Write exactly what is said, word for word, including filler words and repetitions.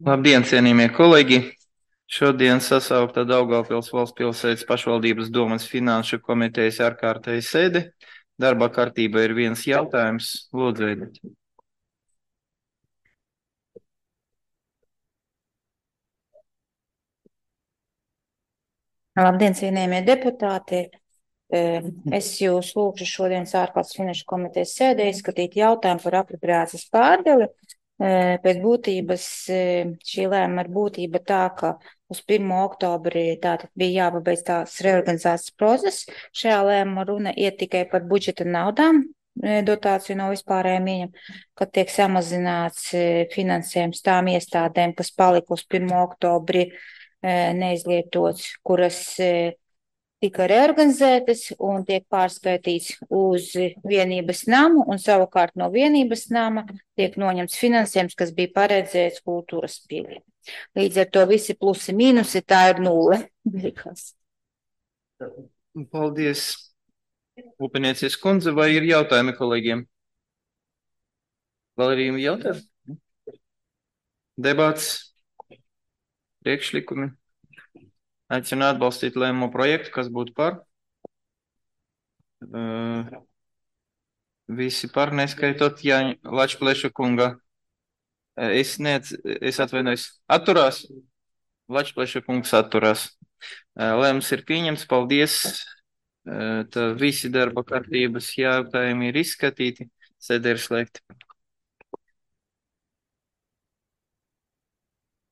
Labdien, cienījamie kolēģi! Šodien sasaukta Daugavpils valsts pilsētas pašvaldības domes finanšu komitejas ārkārtēja sēde. Darba kārtība ir viens jautājums. Lūdzu, Edita. Labdien, cienījamie deputāti! Es jūs lūgšu šodienas ārkārtas finanšu komitejas sēdē izskatīt jautājumu par apropriācijas pārdali. Pēc būtības šī lēma ir būtība tā, ka uz pirmo oktobri tātad bija jāpabeidz tās reorganizācijas process. Šajā lēmuma runa iet tikai par budžeta naudām, dotāciju no vispārējiem ieņem, kad tiek samazināts finansējums tām iestādēm, kas palika uz pirmo oktobri neizlietots, kuras tika reorganizētas un tiek pārskaitīts uz vienības namu, un savukārt no vienības nama tiek noņemts finansējums, kas bija paredzēts kultūras pieļiem. Līdz ar to visi plusi mīnusi, tā ir nulle. Paldies, Upenieces kundze, vai ir jautājumi kolēģiem? Vēl ir jautājumi? Debats, priekšlikumi. Aicinu atbalstīt lēmumu projektu, kas būtu par. Uh, visi par, neskaitot Jāņa Lačpleša kunga. Uh, es, nec, es atvainojos, atturās. Lačpleša kungs atturās. Uh, lēmums ir pieņemts, paldies. Uh, tā visi darba kārtības jautājumi ir izskatīti. Sēde ir slēgta.